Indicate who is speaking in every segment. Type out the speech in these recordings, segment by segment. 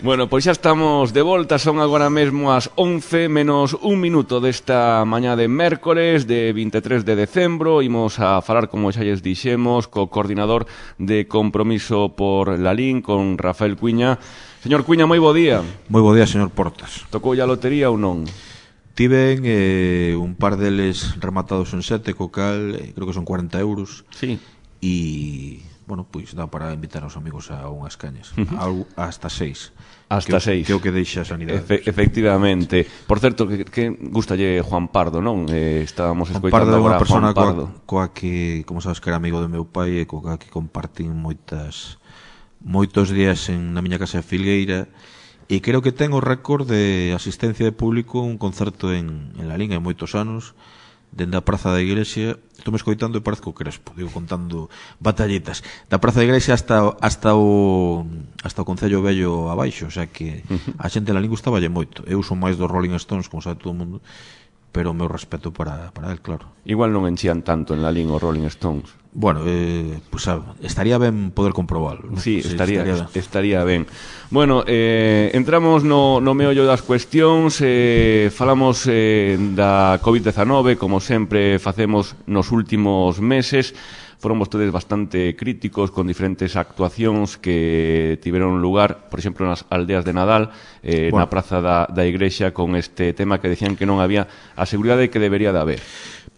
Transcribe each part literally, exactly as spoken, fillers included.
Speaker 1: Bueno, pois xa estamos de volta, son agora mesmo as once menos un minuto desta mañá de mércores de vinte e tres de decembro. Imos a falar, como xa lles dixemos, co coordinador de Compromiso por Lalín, con Rafael Cuiña. Señor Cuiña, moi bo día.
Speaker 2: Moi bo día, señor Portas.
Speaker 1: Tocou a lotería ou non?
Speaker 2: Tiven eh, un par deles rematados en sete, co cal eh, creo que son cuarenta euros.
Speaker 1: Sí.
Speaker 2: E, bueno, pois dá para invitar aos amigos a unhas cañas.
Speaker 1: Uh-huh.
Speaker 2: Hasta seis.
Speaker 1: Hasta
Speaker 2: que,
Speaker 1: seis.
Speaker 2: Que o que deixa a sanidade.
Speaker 1: Efe, efectivamente. Por certo, que, que gustalle Juan Pardo, non? Eh, estábamos
Speaker 2: Juan
Speaker 1: escoitando
Speaker 2: Pardo é unha
Speaker 1: agora a
Speaker 2: persona
Speaker 1: Juan Pardo.
Speaker 2: Coa, coa que, como sabes, que era amigo do meu pai e coa que compartín moitas moitos días en, na miña casa de Filgueira, e creo que ten o récord de asistencia de público un concerto en, en Lalín hai moitos anos, dende a Praza da Iglesia. Estou me escoitando e parezco Crespo, digo, contando batalletas da Praza da Iglesia hasta, hasta o hasta o Concello Vello abaixo, o sea que a xente en Lalín gustaballe moito. Eu son máis dos Rolling Stones, como sabe todo o mundo, pero o meu respeto para, para el, claro.
Speaker 1: Igual non enchían tanto en Lalín os Rolling Stones.
Speaker 2: Bueno, eh, pues, sabe, estaría ben poder comprobalo, ¿no?
Speaker 1: Sí,
Speaker 2: sí,
Speaker 1: estaría,
Speaker 2: estaría, ben.
Speaker 1: estaría ben. Bueno, eh, entramos no, no meollo das cuestións, eh, falamos eh, da covid dezanove, como sempre facemos nos últimos meses. Foron vostedes bastante críticos con diferentes actuacións que tiveron lugar, por exemplo, nas aldeas de Nadal, eh, bueno, na praza da, da Igrexa, con este tema que decían que non había a seguridade que debería de haber.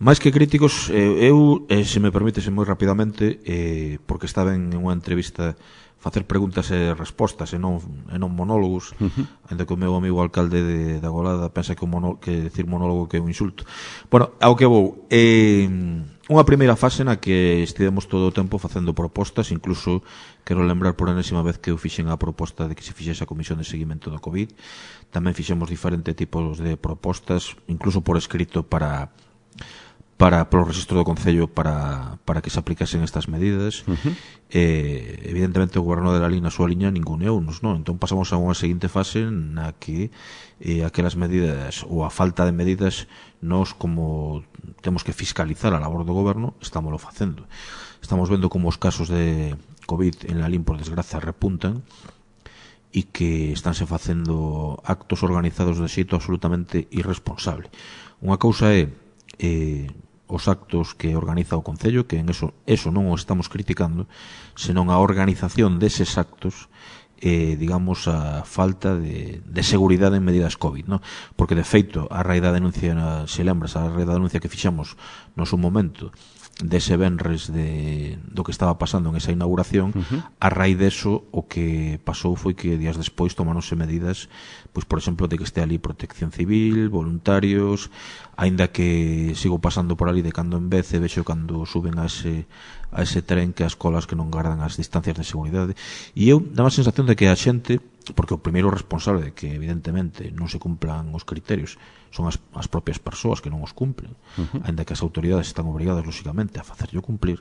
Speaker 2: Máis que críticos, eh, eu, eh, se me permitese moi rapidamente, eh, porque estaba en unha entrevista facer preguntas e respostas e non, e non monólogos, uh-huh. ainda que o meu amigo alcalde de, de Agolada pensa que, mono, que decir monólogo que é un insulto. Bueno, ao que vou, eh, unha primeira fase na que estivemos todo o tempo facendo propostas, incluso quero lembrar por enésima vez que eu fixen a proposta de que se fixese a Comisión de Seguimento do COVID. Tamén fixemos diferentes tipos de propostas, incluso por escrito para para polo registro do Concello para, para que se aplicasen estas medidas. Uh-huh. eh, evidentemente o goberno de Lalín na súa liña ninguneunos, non? Entón pasamos a unha seguinte fase na que eh, aquelas medidas ou a falta de medidas nós, como temos que fiscalizar a labor do goberno, estámoslo facendo. Estamos vendo como os casos de COVID en Lalín, por desgracia, repuntan e que estánse facendo actos organizados de xeito absolutamente irresponsable. Unha cousa é eh, os actos que organiza o Concello, que en eso, eso non o estamos criticando, senón a organización deses actos, eh, digamos, a falta de, de seguridade en medidas COVID, ¿no? Porque, de feito, a raíz da denuncia, se lembras, a raíz da denuncia que fixamos no seu momento, dese venres de, do que estaba pasando en esa inauguración, uh-huh. a raíz deso o que pasou foi que días despois tomáronse medidas, pois por exemplo, de que este ali protección civil, voluntarios, aínda que sigo pasando por ali de cando en vez e vexo cando suben a ese, a ese tren que as colas que non gardan as distancias de seguridade, e eu dá a sensación de que a xente, porque o primeiro responsable de que evidentemente non se cumplan os criterios son as, as propias persoas que non os cumplen, uh-huh. ainda que as autoridades están obrigadas lógicamente a facerlo cumplir,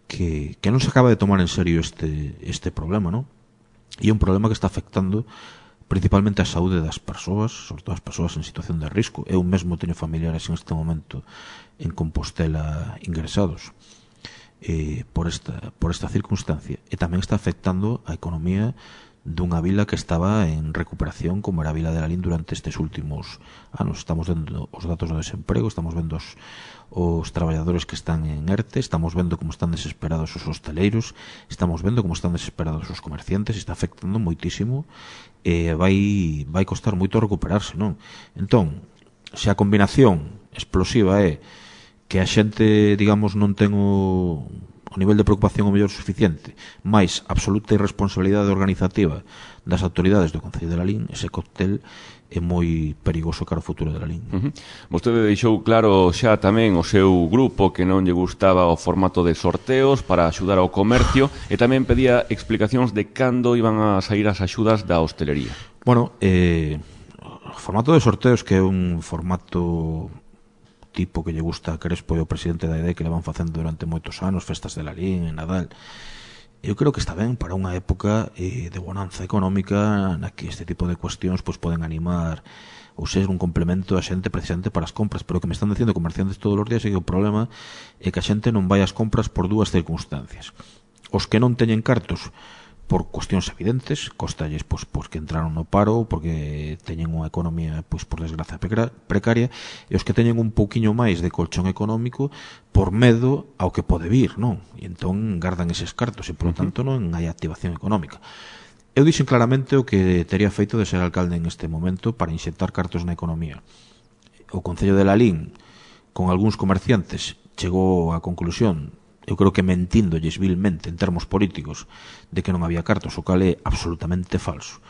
Speaker 2: que, que non se acaba de tomar en serio este, este problema, non? E é un problema que está afectando principalmente a saúde das persoas, sobre todo as persoas en situación de risco. Eu mesmo teño familiares en este momento en Compostela ingresados eh, por, esta, por esta circunstancia, e tamén está afectando a economía dunha vila que estaba en recuperación, como era a vila de Lalín durante estes últimos anos. Estamos vendo os datos do desemprego, estamos vendo os, os traballadores que están en ERTE, estamos vendo como están desesperados os hosteleiros, estamos vendo como están desesperados os comerciantes, está afectando moitísimo e vai, vai costar moito recuperarse, non? Entón, se a combinación explosiva é que a xente, digamos, non ten o o nivel de preocupación o mellor suficiente, máis absoluta irresponsabilidade organizativa das autoridades do Concello de Lalín, ese cóctel é moi perigoso cara ao futuro de Lalín.
Speaker 1: Uh-huh. Vostede deixou claro xa tamén o seu grupo que non lle gustaba o formato de sorteos para axudar ao comercio, e tamén pedía explicacións de cando iban a sair as axudas da hostelería.
Speaker 2: Bueno, eh, o formato de sorteos, que é un formato tipo que lle gusta a Crespo e o presidente da I D E, que le van facendo durante moitos anos, festas de Lalín, en Nadal, eu creo que está ben para unha época eh, de bonanza económica na que este tipo de cuestións pues, poden animar ou ser un complemento a xente precisamente para as compras, pero o que me están dicindo comerciantes todos os días é que o problema é que a xente non vai ás compras por dúas circunstancias. Os que non teñen cartos por cuestións evidentes, costalles pois, pois, que entraron no paro porque teñen unha economía pois, por desgracia precaria, e os que teñen un pouquiño máis de colchón económico por medo ao que pode vir, non? E entón gardan eses cartos e, por lo tanto, non hai activación económica. Eu dixen claramente o que tería feito de ser alcalde en este momento para inxectar cartos na economía. O Concello de Lalín, con algúns comerciantes, chegou á conclusión, eu creo que mentindolles vilmente en termos políticos, de que non había cartos, o cal é absolutamente falso,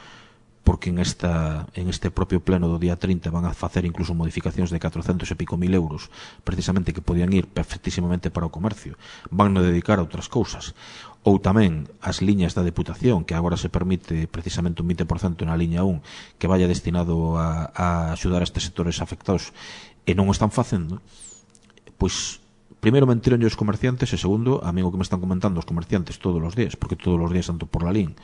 Speaker 2: porque en, esta, en este propio pleno do día trinta van a facer incluso modificacións de catrocentos e pico mil euros, precisamente que podían ir perfectísimamente para o comercio, van a dedicar a outras cousas. Ou tamén as liñas da Deputación, que agora se permite precisamente un vinte por cento na liña un, que vaya destinado a, a axudar a estes sectores afectados, e non o están facendo, pois primeiro mentiron os comerciantes, e segundo, a mí o que me están comentando os comerciantes todos os días, porque todos os días ando por Lalín,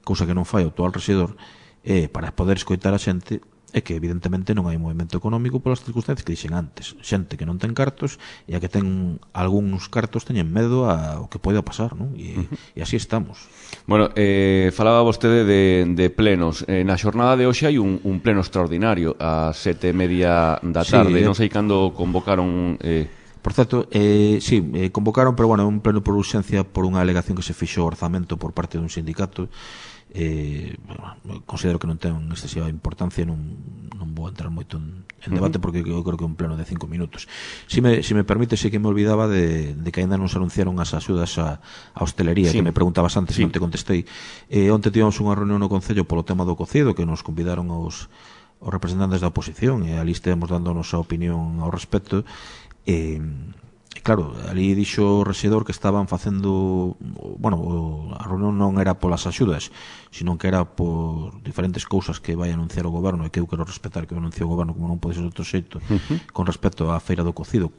Speaker 2: cousa que non fai o actual rexedor, é para poder escoitar a xente, é que evidentemente non hai movimento económico polas circunstancias que dixen antes. Xente que non ten cartos, e a que ten algúns cartos teñen medo ao que poida pasar, non? E, uh-huh. e así estamos.
Speaker 1: Bueno, eh, falaba vostede de, de plenos. Eh, na xornada de hoxe hai un, un pleno extraordinario a sete e media da tarde. Sí, non sei cando convocaron... Eh,
Speaker 2: Por certo, eh, sí, eh, convocaron, pero bueno, un pleno por urxencia por unha alegación que se fixo o orzamento por parte dun sindicato. Eh, bueno, considero que non ten excesiva importancia, non, non vou entrar moito en, en debate, porque eu creo que é un pleno de cinco minutos. Si me, si me permite, sí que me olvidaba de, de que ainda non se anunciaron as axudas a, a hostelería, sí. Que me preguntabas antes, sí. Non te contestei. Eh, onte tivemos unha reunión no Concello polo tema do cocido, que nos convidaron os, os representantes da oposición, e ali estivemos dando a nosa opinión ao respecto. E, claro, ali dixo o rexedor que estaban facendo, bueno, a reunión non era polas axudas, sino que era por diferentes cousas que vai anunciar o goberno, e que eu quero respetar que o anuncie o goberno, como non pode ser de outro xeito, uh-huh. Con respecto á feira do cocido,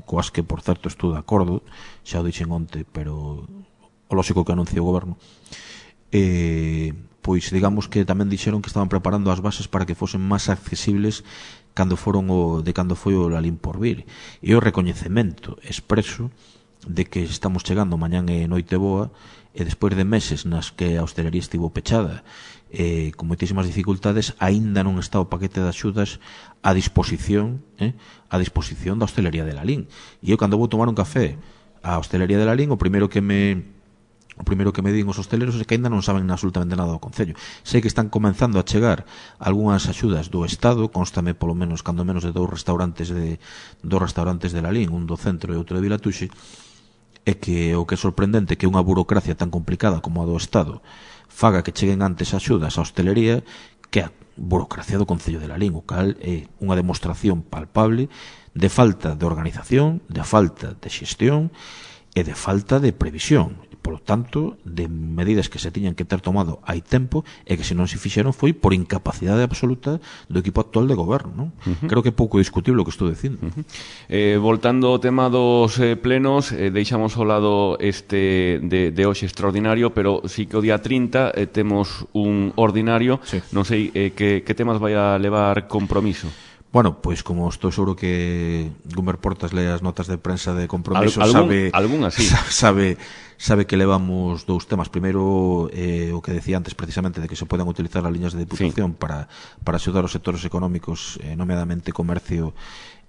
Speaker 2: coas que, por certo, estou de acordo, xa o dixen onte, pero o lógico que anuncie o goberno. E, pois, digamos que tamén dixeron que estaban preparando as bases para que fosen máis accesibles cando foron o, de cando foi o Lalín por vir. E o recoñecemento expreso de que estamos chegando mañán e noite boa, e despois de meses nas que a hostelería estivo pechada, eh, con moitísimas dificultades, aínda non está o paquete de axudas a disposición, eh, a disposición da hostelería de Lalín. E eu, cando vou tomar un café á hostelería de Lalín, o primeiro que me... O primeiro que me din os hosteleros é que ainda non saben absolutamente nada do Concello. Sei que están comenzando a chegar algunhas axudas do Estado, constame polo menos cando menos de dous restaurantes de dos restaurantes de Lalín, un do centro e outro de Vilatuxe, é que o que é sorprendente que unha burocracia tan complicada como a do Estado faga que cheguen antes axudas á hostelería que a burocracia do Concello de Lalín, o cal é unha demostración palpable de falta de organización, de falta de xestión e de falta de previsión. Por lo tanto, de medidas que se tiñan que ter tomado hai tempo, e que se non se fixeron foi por incapacidade absoluta do equipo actual de goberno, non? Uh-huh. Creo que é pouco discutible o que estou dicindo.
Speaker 1: Uh-huh. eh, Voltando ao tema dos eh, plenos, eh, deixamos ao lado este de, de hoxe extraordinario, pero sí que o día trinta eh, temos un ordinario. Sí. Non sei eh, que, que temas vai a levar Compromiso.
Speaker 2: Bueno, pois como estou seguro que Gumer Portas lee as notas de prensa de Compromiso,
Speaker 1: Al, algún,
Speaker 2: sabe,
Speaker 1: algún así.
Speaker 2: sabe sabe que levamos dous temas. Primeiro, eh, o que decía antes precisamente, de que se poden utilizar as liñas de Deputación, sí, para, para axudar os sectores económicos, eh, nomeadamente comercio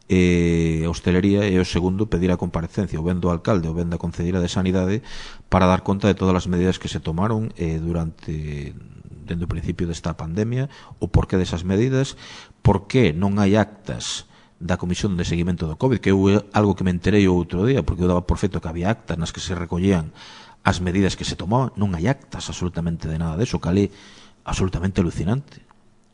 Speaker 2: e hostelería. E o segundo, pedir a comparecencia ou ben do alcalde ou ben da Concelleira de Sanidade para dar conta de todas as medidas que se tomaron eh, durante dende o principio desta pandemia, o porqué desas medidas, por que non hai actas da Comisión de Seguimento do COVID, que é algo que me enterei o outro día, porque eu daba por feito que había actas nas que se recollían as medidas que se tomaban. Non hai actas absolutamente de nada deso, que é absolutamente alucinante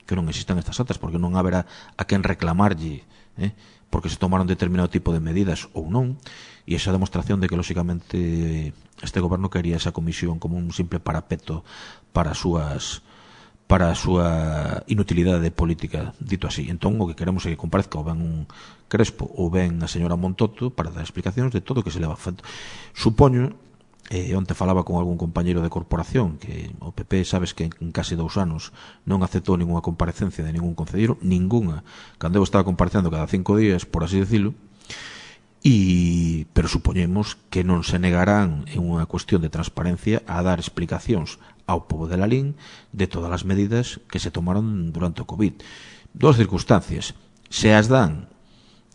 Speaker 2: que non existan estas actas, porque non haberá a quen reclamarlle, eh, porque se tomaron determinado tipo de medidas ou non. E esa demostración de que, lóxicamente, este goberno quería esa comisión como un simple parapeto para as súas para a súa inutilidade política, dito así. Entón, o que queremos é que comparezca ou ben un Crespo ou ben a señora Montoto para dar explicacións de todo o que se leva feito. Supoño, eh, onte falaba con algún compañeiro de corporación, que o P P, sabes que en case dous anos non aceptou ninguna comparecencia de ningún concelleiro, ninguna, cando eu estaba comparecendo cada cinco días, por así decirlo. E, pero supoñemos que non se negarán en unha cuestión de transparencia a dar explicacións ao pobo de Lalín de todas as medidas que se tomaron durante o COVID. Dos circunstancias: se as dan,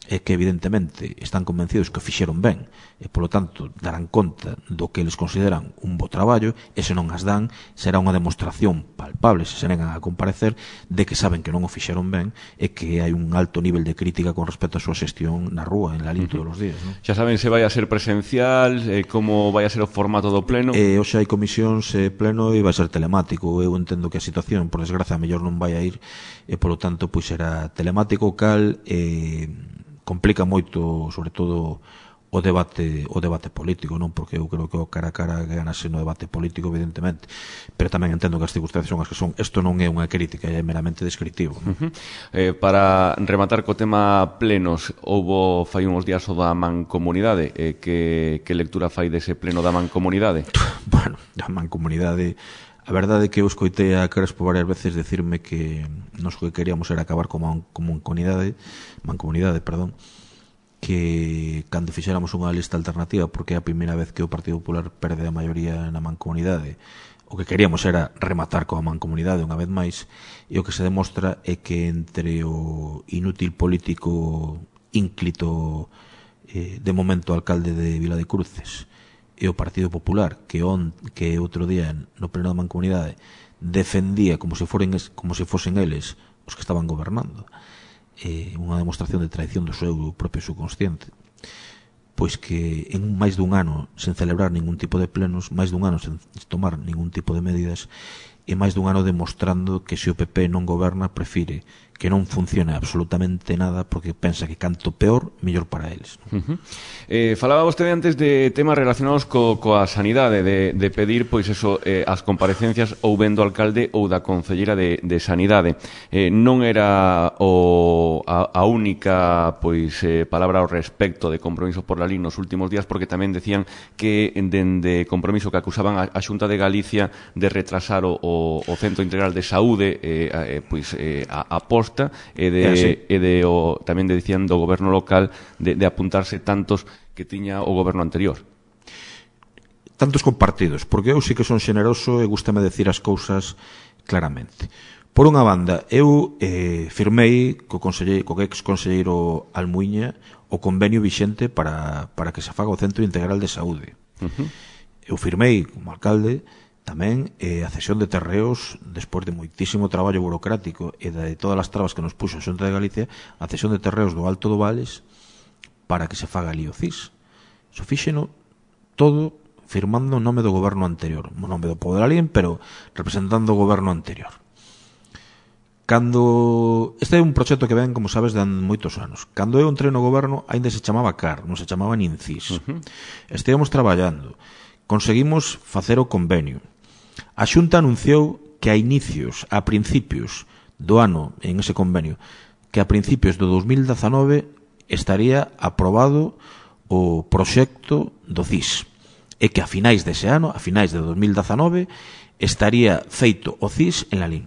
Speaker 2: é que evidentemente están convencidos que o fixeron ben e, polo tanto, darán conta do que eles consideran un bo traballo, e se non as dan, será unha demostración palpable, se se negan a comparecer, de que saben que non o fixeron ben e que hai un alto nivel de crítica con respecto á súa xestión na rúa, en Lalín, todos os días, non?
Speaker 1: Xa saben se vai a ser presencial, eh, como vai a ser o formato do pleno?
Speaker 2: Eh, hoxe hai comisións eh, pleno e vai ser telemático. Eu entendo que a situación, por desgracia, a mellor non vai a ir e, polo tanto, pois será telemático, cal eh, complica moito, sobre todo, o debate o debate político, non? Porque eu creo que o cara a cara ganase no debate político, evidentemente, pero tamén entendo que as circunstancias son as que son. Isto non é unha crítica, é meramente descriptivo, non?
Speaker 1: Uh -huh. eh, para rematar co tema plenos, houbo fai uns días o da mancomunidade, eh, que, que lectura fai dese pleno da mancomunidade?
Speaker 2: Bueno, a mancomunidade, a verdade é que eu escoitei a Crespo varias veces decirme que nos que queríamos era acabar como mancomunidade, mancomunidade, perdón, que cando fixéramos unha lista alternativa, porque é a primeira vez que o Partido Popular perde a maioría na mancomunidade, o que queríamos era rematar coa mancomunidade unha vez máis, e o que se demostra é que entre o inútil político ínclito eh, de momento alcalde de Vila de Cruces e o Partido Popular, que on, que outro día no pleno da mancomunidade defendía como se foren como se fosen eles os que estaban gobernando, eh, unha demostración de traición do seu propio subconsciente, pois que en máis dun ano sen celebrar ningún tipo de plenos, máis dun ano sen tomar ningún tipo de medidas, e máis dun ano demostrando que se o P P non goberna, prefire que non funcione absolutamente nada, porque pensa que canto peor, mellor para eles.
Speaker 1: Uh -huh. eh, falaba vostede antes de temas relacionados co, coa sanidade, de, de pedir pois eso, eh, as comparecencias ou ben do alcalde ou da concelleira de, de sanidade. Eh, non era o, a, a única pois eh, palabra ao respecto de Compromiso por Lalín nos últimos días, porque tamén decían que dende Compromiso que acusaban a, a Xunta de Galicia de retrasar o, o, o Centro Integral de Saúde, eh, eh, pois eh, a, a posta e de, e de o, tamén de dicían do goberno local de, de apuntarse tantos que tiña o goberno anterior.
Speaker 2: Tantos compartidos, porque eu sí que son xeneroso e gústame decir as cousas claramente. Por unha banda, eu eh, firmei co, co ex conselleiro Almuiña o convenio vixente para, para que se faga o Centro Integral de Saúde. Uh -huh. Eu firmei como alcalde tamén eh, a cesión de terreos, despois de moitísimo traballo burocrático e de todas as trabas que nos puxo a Xunta de Galicia, a cesión de terreos do Alto do Vales para que se faga ali o C I S. Iso fíxeno todo firmando o nome do goberno anterior, o nome do pobo de Lalín, pero representando o goberno anterior. Cando este é un proxecto que ven, como sabes, dan moitos anos. Cando eu entrei no goberno, aínda se chamaba C A R, non se chamaba nin C I S. Uh -huh. Estivemos traballando, conseguimos facer o convenio. A Xunta anunciou que a inicios, a principios do ano, en ese convenio, que a principios do dos mil dezanove estaría aprobado o proxecto do C I S, e que a finais dese ano, a finais de dos mil dezanove, estaría feito o C I S en Lalín.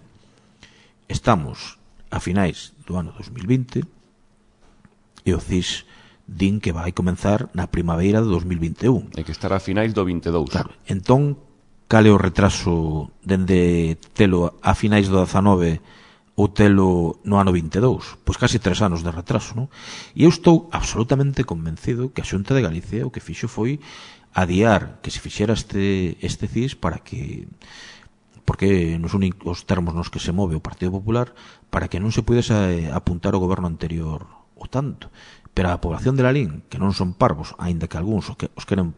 Speaker 2: Estamos a finais do ano dos mil vinte e o C I S din que vai comenzar na primavera de dos mil vinte e un.
Speaker 1: E que estará a finais do vinte e dous.
Speaker 2: Claro, entón, cal é o retraso dende telo a finais do dezanove ou telo no ano vinte e dous? Pois casi tres anos de retraso, non? E eu estou absolutamente convencido que a Xunta de Galicia o que fixo foi adiar que se fixera este, este C I S para que, porque nos únicos termos nos que se move o Partido Popular, para que non se pudese apuntar o goberno anterior o tanto. Pero a población de Lalín, que non son parvos, aínda que algúns os, que, os queren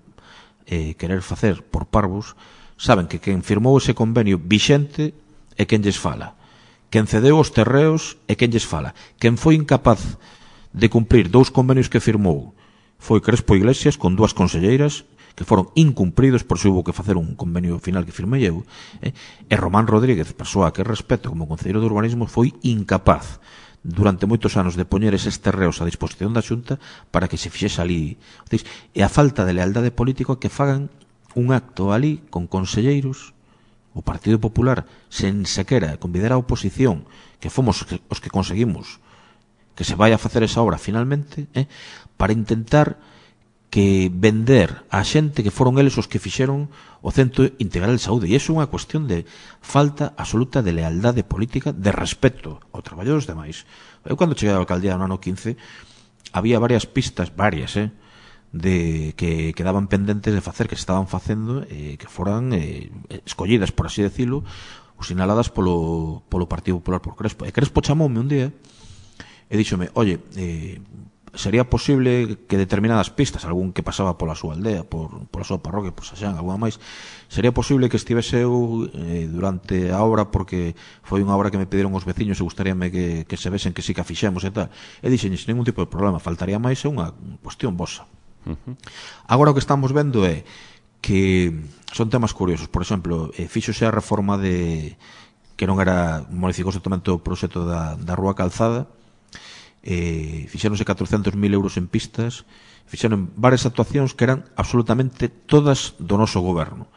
Speaker 2: eh, querer facer por parvos, saben que quen firmou ese convenio vixente é quen lles fala. Quen cedeu os terreos é quen lles fala. Quen foi incapaz de cumprir dous convenios que firmou foi Crespo Iglesias con dúas conselleiras que foron incumpridos, por se hubo que facer un convenio final que firmei eu, eh? E Román Rodríguez, persoa que respeto como concelleiro de urbanismo, foi incapaz durante moitos anos de poñer eses terreos a disposición da Xunta para que se fixese ali. E a falta de lealdade política que fagan un acto ali con conselleiros, o Partido Popular, sen sequera convidar a oposición, que fomos os que conseguimos que se vai a facer esa obra finalmente, eh, para intentar que vender a xente que foron eles os que fixeron o Centro Integral de Saúde. E iso é unha cuestión de falta absoluta de lealdade política, de respeto ao traballo dos demais. Eu, cando cheguei á alcaldía no ano quince, había varias pistas, varias, eh, de que quedaban pendentes de facer, que se estaban facendo, eh, que foran eh, escollidas, por así decirlo, ou sinaladas polo, polo Partido Popular por Crespo. E Crespo chamoume un día e díxome, oye, eh, sería posible que determinadas pistas, algún que pasaba pola súa aldea, por, pola súa parroquia, por Saxán, alguna máis, sería posible que estivese eu eh, durante a obra, porque foi unha obra que me pediron os veciños e gustaríame que, que se vesen que sí que a fixemos e tal. E dixen, sin ningún tipo de problema, faltaría máis, é unha cuestión vosa. Uh-huh. Agora o que estamos vendo é que son temas curiosos. Por exemplo, eh, fíxose a reforma de que non era, modificouse totalmente o proxecto da, da Rúa Calzada, eh, fixeronse catrocentos mil euros en pistas, fixeron varias actuacións que eran absolutamente todas do noso goberno.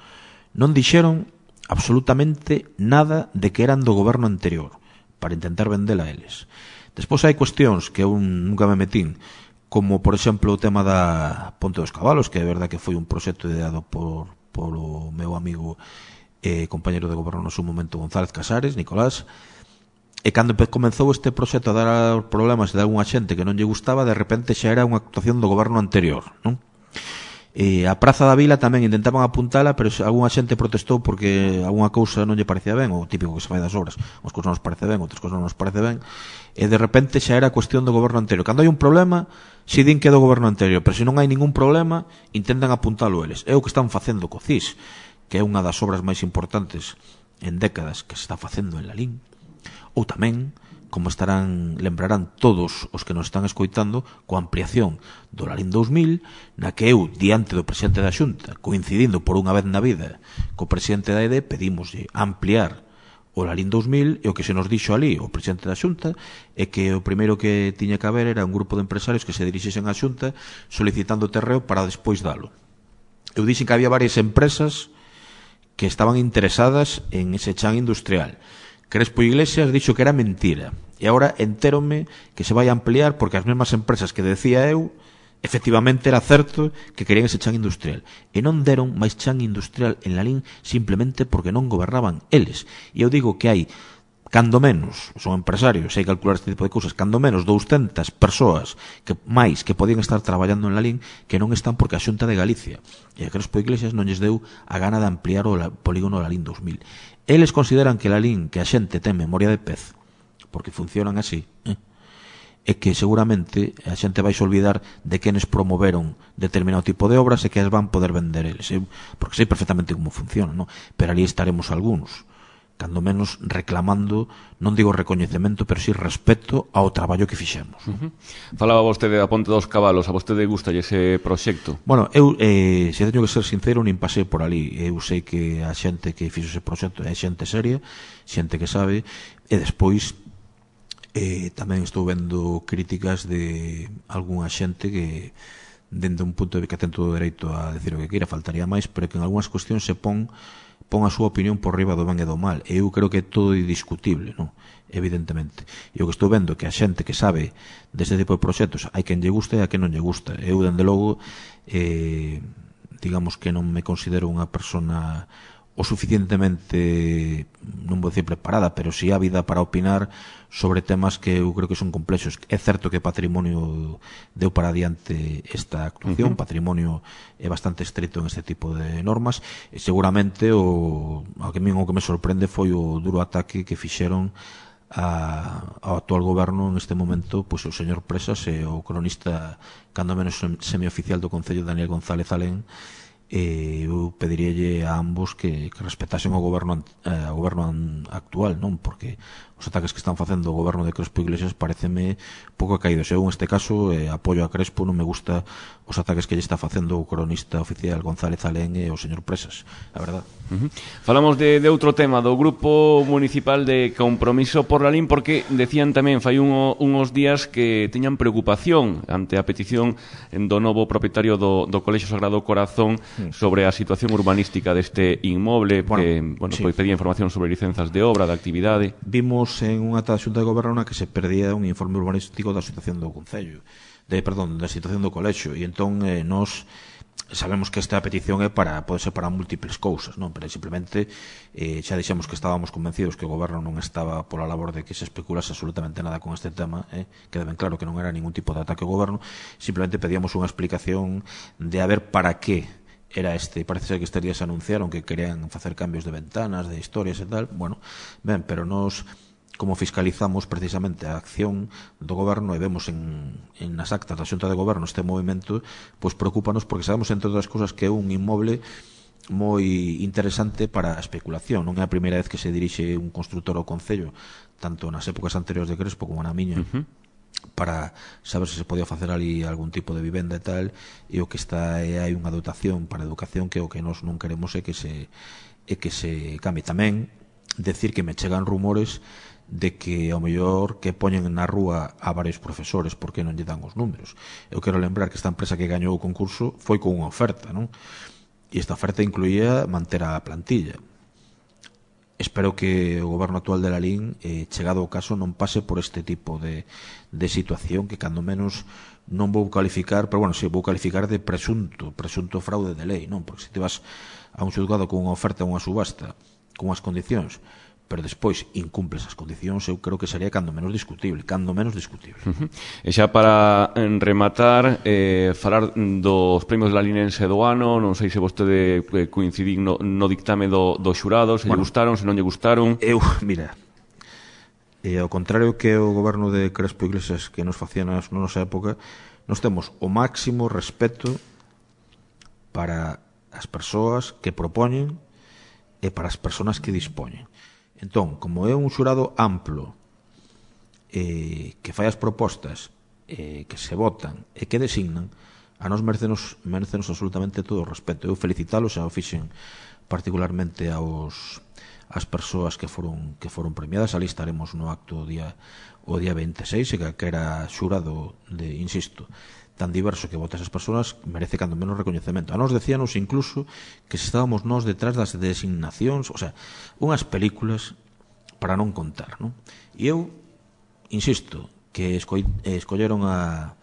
Speaker 2: Non dixeron absolutamente nada de que eran do goberno anterior, para intentar vendela a eles. Despois hai cuestións que eu nunca me metín, como por exemplo o tema da Ponte dos Cabalos, que é verdad que foi un proxecto ideado por, por o meu amigo e eh, compañero de goberno no seu momento González Casares, Nicolás. E cando comenzou este proxecto a dar problemas de algunha xente que non lle gustaba, de repente xa era unha actuación do goberno anterior, non? E a Praza da Vila tamén intentaban apuntala, pero algunha xente protestou porque algunha cousa non lle parecía ben, o típico que se fai das obras, unhas cousas non nos parece ben, outras cousas non nos parece ben, e de repente xa era cuestión do goberno anterior. Cando hai un problema, si din que é do goberno anterior, pero se non hai ningún problema, intentan apuntalo eles. É o que están facendo co C I S, que é unha das obras máis importantes en décadas que se está facendo en Lalín. Ou tamén, como estarán, lembrarán todos os que nos están escoitando, coa ampliación do Lalín dous mil, na que eu, diante do presidente da Xunta, coincidindo por unha vez na vida co presidente da E D, pedimos ampliar o Lalín dous mil, e o que se nos dixo ali o presidente da Xunta é que o primeiro que tiña que haber era un grupo de empresarios que se dirixesen á Xunta solicitando terreo para despois dalo. Eu dixen que había varias empresas que estaban interesadas en ese chan industrial. Crespo Iglesias dixo que era mentira, e agora entérome que se vai ampliar porque as mesmas empresas que decía eu, efectivamente era certo que querían ese chan industrial, e non deron máis chan industrial en Lalín simplemente porque non gobernaban eles. E eu digo que hai, cando menos, son empresarios, hai que calcular este tipo de cousas, cando menos douscentas persoas que máis que podían estar traballando en Lalín que non están porque a Xunta de Galicia e a Crespo Iglesias non lles deu a gana de ampliar o polígono Lalín dous mil. Eles consideran que Lalín, que a xente ten memoria de pez, porque funcionan así, eh? E que seguramente a xente vai se olvidar de quenes promoveron determinado tipo de obras e que as van poder vender eles, eh? Porque sei perfectamente como funciona, ¿no? Pero ali estaremos algúns, cando menos reclamando, non digo recoñecemento, pero sí respeto ao traballo que fixemos.
Speaker 1: Uh-huh. Falaba vostede da Ponte dos Cabalos, a vostede gusta ese proxecto?
Speaker 2: Bueno, eu, eh, se teño que ser sincero, nin pasei por ali. Eu sei que a xente que fixo ese proxecto é xente seria, xente que sabe, e despois eh, tamén estou vendo críticas de algunha xente que dende un punto de vista que ten todo o dereito a decir o que queira, faltaría máis, pero que en algunhas cuestións se pon pon a súa opinión por riba do ben e do mal. E eu creo que é todo indiscutible, non? Evidentemente. E o que estou vendo é que a xente que sabe deste tipo de proxectos hai quen lle gusta e a quen non lle gusta. Eu, dende logo, eh, digamos que non me considero unha persona o suficientemente, non vou dicir preparada, pero si ávida para opinar sobre temas que eu creo que son complexos. É certo que Patrimonio deu para adiante esta actuación, uh-huh. Patrimonio é bastante estrito en este tipo de normas, e seguramente o, o que o que me sorprende foi o duro ataque que fixeron a, ao actual goberno en este momento, pois o señor Presas e o cronista cando menos semioficial do Concello, Daniel González Alén. E eu pediríalle a ambos que, que respetasen o goberno eh, o goberno actual, non? Porque os ataques que están facendo o goberno de Crespo Iglesias pareceme pouco caídos. Eu, en este caso, eh, apoio a Crespo, non me gusta os ataques que lle está facendo o cronista oficial González Alén e o señor Presas, a verdad.
Speaker 1: Uh-huh. Falamos de, de outro tema, do Grupo Municipal de Compromiso por Lalín, porque decían tamén fai un, uns días que teñan preocupación ante a petición do novo propietario do, do Colexio Sagrado Corazón sobre a situación urbanística deste inmoble, bueno, que bueno, sí. Pois pedía información sobre licenzas de obra, de actividade.
Speaker 2: Vimos en unha ata da Xunta de Goberno na que se perdía un informe urbanístico da situación do Concello. de, perdón, da situación do colexio, e entón eh, nos sabemos que esta petición é para, pode ser para múltiples cousas, non? Pero simplemente eh, xa dixemos que estábamos convencidos que o goberno non estaba pola labor de que se especulase absolutamente nada con este tema, eh? Queda ben claro que non era ningún tipo de ataque ao goberno, simplemente pedíamos unha explicación de a ver para que era este, parece ser que estes días anunciaron que querían facer cambios de ventanas, de historias e tal, bueno, ben, pero nos como fiscalizamos precisamente a acción do goberno e vemos en, en nas actas da Xunta de Goberno este movimento, pois preocúpanos porque sabemos, entre outras cousas, que é un inmoble moi interesante para a especulación. Non é a primeira vez que se dirixe un construtor ao Concello, tanto nas épocas anteriores de Crespo como na miña, uh-huh. para saber se se podía facer ali algún tipo de vivenda e tal, e o que está é hai unha dotación para a educación que o que nós non queremos é que se é que se cambie. Tamén decir que me chegan rumores de que ao mellor que poñen na rúa a varios profesores porque non lle dan os números. Eu quero lembrar que esta empresa que gañou o concurso foi con unha oferta, non? E esta oferta incluía manter a plantilla. Espero que o goberno actual de Lalín, eh, chegado o caso, non pase por este tipo de, de situación que cando menos non vou calificar, pero bueno, si, vou calificar de presunto, presunto fraude de lei, non? Porque se te vas a un xulgado con unha oferta ou unha subasta con as condicións, pero despois incumples as condicións, eu creo que sería cando menos discutible, cando menos discutible.
Speaker 1: Uh-huh. E xa para rematar, eh, falar dos premios lalinense do ano, non sei se vostede coincidín no, no dictame do, do xurado, se bueno, lle gustaron, se non lle gustaron.
Speaker 2: Eu, mira, e ao contrario que o goberno de Crespo Iglesias que nos facía na nosa época, nos temos o máximo respeto para as persoas que propoñen e para as persoas que dispoñen. Entón, como é un xurado amplo eh, que fai as propostas eh, que se votan e que designan, a nos merecenos, merecenos absolutamente todo o respeto. Eu felicitalos, xa o fixen particularmente aos as persoas que foron que foron premiadas. Ali estaremos no acto o día o día veintiséis, e que era xurado de, insisto, tan diverso que vota esas persoas, merece cando menos recoñecemento. A nos decíanos incluso que se estábamos nós detrás das designacións, o sea, unhas películas para non contar, non? E eu insisto que esco escolleron a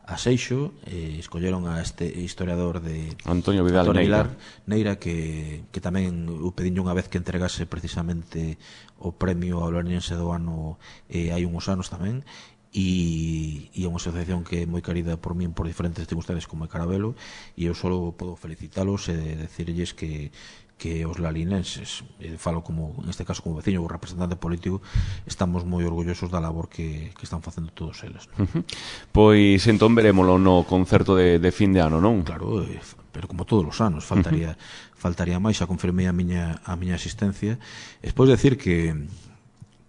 Speaker 2: a Seixo, eh, escolleron a este historiador de
Speaker 1: Antonio Vidal
Speaker 2: Antonio
Speaker 1: Neira,
Speaker 2: Neira que, que tamén o pediño unha vez que entregase precisamente o premio ao larinense do ano eh, hai uns anos tamén, e, e é unha asociación que é moi querida por min por diferentes circunstancias como é Carabelo, e eu só podo felicitalos e decirlles que que os lalinenses, eh, falo como neste caso como veciño ou representante político, estamos moi orgullosos da labor que, que están facendo todos eles, non?
Speaker 1: Uh-huh. Pois entón verémolo no concerto de, de fin de ano, non?
Speaker 2: Claro, eh, pero como todos os anos faltaría uh-huh. faltaría máis. Xa confirmei a miña a miña asistencia. Despois decir que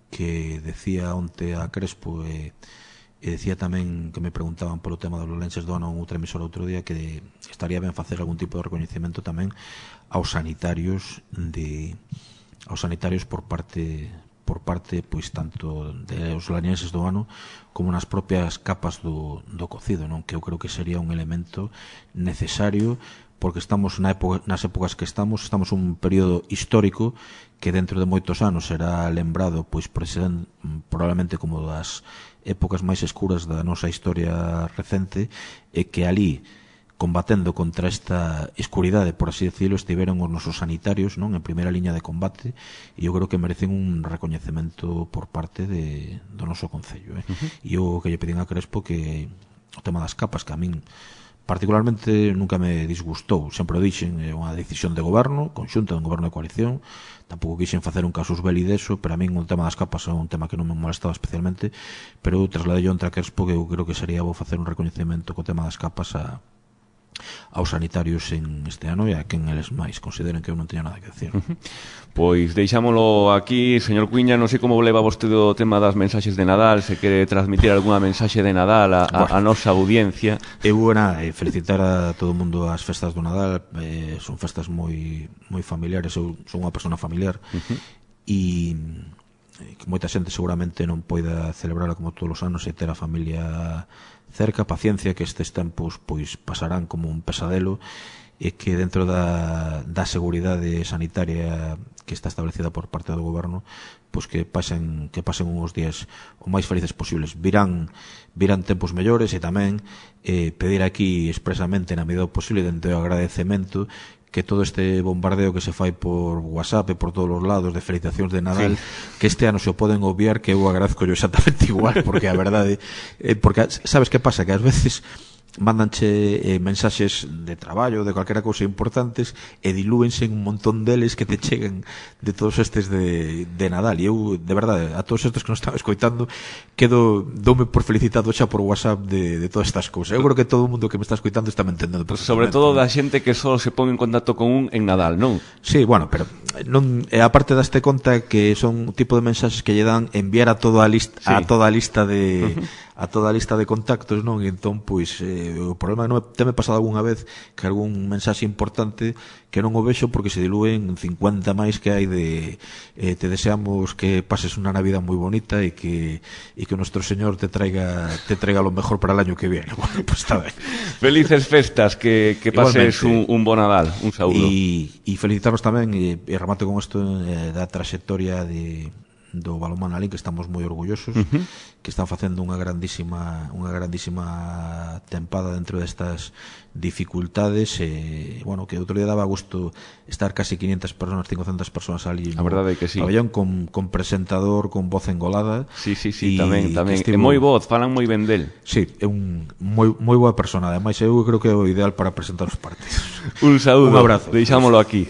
Speaker 2: que decía onte a Crespo e, e decía tamén que me preguntaban polo tema dos lalinenses do ano outra emisora outro día, que estaría ben facer algún tipo de recoñecemento tamén aos sanitarios de aos sanitarios por parte por parte pois tanto dos lalinenses do ano como nas propias capas do, do cocido, non? Que eu creo que sería un elemento necesario, porque estamos na época, nas épocas que estamos, estamos un período histórico que dentro de moitos anos será lembrado pois probablemente como das épocas máis escuras da nosa historia recente, e que ali combatendo contra esta escuridade, por así decirlo, estiveron os nosos sanitarios, non, en primeira liña de combate, e eu creo que merecen un recoñecemento por parte de, do noso Concello, eh? Uh-huh. E eu que lle pedín a Crespo que o tema das capas, que a min particularmente nunca me disgustou, sempre o dixen, é unha decisión de goberno conxunta, de un goberno de coalición, tampouco quixen facer un casus belli deso, pero a min o tema das capas é un tema que non me molestaba especialmente, pero eu trasladei ontra a Crespo que eu creo que sería bo facer un recoñecemento co tema das capas a aos sanitarios en este ano e a quen eles máis consideren que eu non teña nada que decir.
Speaker 1: Uh-huh. Pois deixámolo aquí, señor Cuíña, non sei como leva vostede o tema das mensaxes de Nadal, se quere transmitir algunha mensaxe de Nadal a, a, a nosa audiencia.
Speaker 2: Eu era eh, felicitar a todo o mundo as festas do Nadal, eh, son festas moi moi familiares, eu son unha persona familiar, uh-huh. e que moita xente seguramente non poida celebrarla como todos os anos e ter a familia cerca. Paciencia, que estes tempos pois pasarán como un pesadelo, e que dentro da, da seguridade sanitaria que está establecida por parte do goberno, pois que pasen que pasen uns días o máis felices posibles. Virán virán tempos mellores e tamén eh, pedir aquí expresamente na medida do posible dentro do agradecemento que todo este bombardeo que se fai por WhatsApp e por todos os lados de felicitacións de Nadal, sí, que este ano se o poden obviar, que eu agradezco yo exactamente igual, porque a verdade eh, porque sabes que pasa, que ás veces mándanche eh, mensaxes de traballo, de calquera cousa importantes e dilúense en un montón deles que te cheguen de todos estes de, de Nadal. E eu, de verdade, a todos estes que nos están escoitando, quedo, doume por felicitado xa por WhatsApp de, de todas estas cousas. Eu creo que todo o mundo que me está escoitando está me entendendo.
Speaker 1: Sobre todo da xente que só se pon en contacto con un en Nadal, non?
Speaker 2: Sí, bueno, pero non, e aparte daste conta que son un tipo de mensaxes que lle dan enviar a toda a lista, sí, a toda a lista de a toda a lista de contactos, non? E entón, pois, eh, o problema non teme pasado algunha vez que algún mensaxe importante que non o vexo porque se dilúen cincuenta máis que hai de eh, te deseamos que pases unha Navidad moi bonita e que e que o nuestro Señor te traiga te traiga lo mejor para el año que viene. Bueno, pues está ben.
Speaker 1: Felices festas, que, que pases un, un bon Nadal, un saúdo.
Speaker 2: E, e felicitarnos tamén, e, e remato con isto, eh, da trayectoria de do balonmán Alín, que estamos moi orgullosos, uh-huh, que están facendo unha grandísima unha grandísima tempada dentro destas dificultades e, bueno, que outro día daba gusto estar casi quinientas personas, cincocentas personas ali
Speaker 1: no, a verdade é que sí,
Speaker 2: pabellón con, con presentador, con voz engolada.
Speaker 1: Sí, sí, sí, tamén, tamén estivo... é moi voz, falan moi ben del.
Speaker 2: Sí, é un moi, moi boa persona, ademais eu creo que é o ideal para presentar os partidos.
Speaker 1: Un saúdo,
Speaker 2: un abrazo,
Speaker 1: deixámolo aquí.